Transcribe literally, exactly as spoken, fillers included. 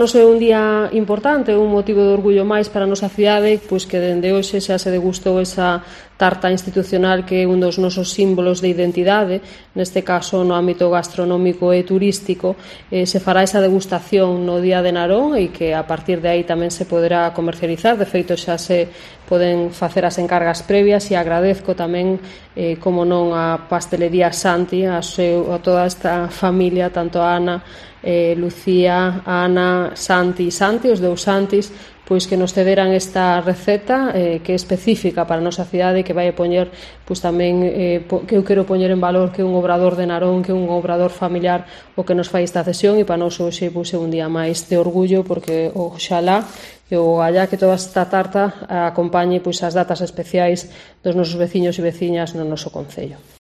É un día importante, un motivo de orgullo máis para a nosa cidade, pois que dende hoxe xa se degustou esa tarta institucional que é un dos nosos símbolos de identidade, neste caso no ámbito gastronómico e turístico. Eh, se fará esa degustación no Día de Narón e que a partir de aí tamén se poderá comercializar. De feito xa se poden facer as encargas previas e agradezco tamén, eh, como non, a Pastelería Santi, a, seu, a toda esta familia, tanto a Ana, eh, Lucía, Ana, Santi e Santi, os dous Santis, pois que nos cederan esta receta eh, que é específica para a nosa cidade e que vai a poñer, pois tamén eh, que eu quero poñer en valor que é un obrador de Narón, que é un obrador familiar o que nos fai esta cesión, e para nós hoxe pois, é un día máis de orgullo, porque oxalá e o allá que toda esta tarta acompañe pois as datas especiais dos nosos veciños e veciñas no noso concello.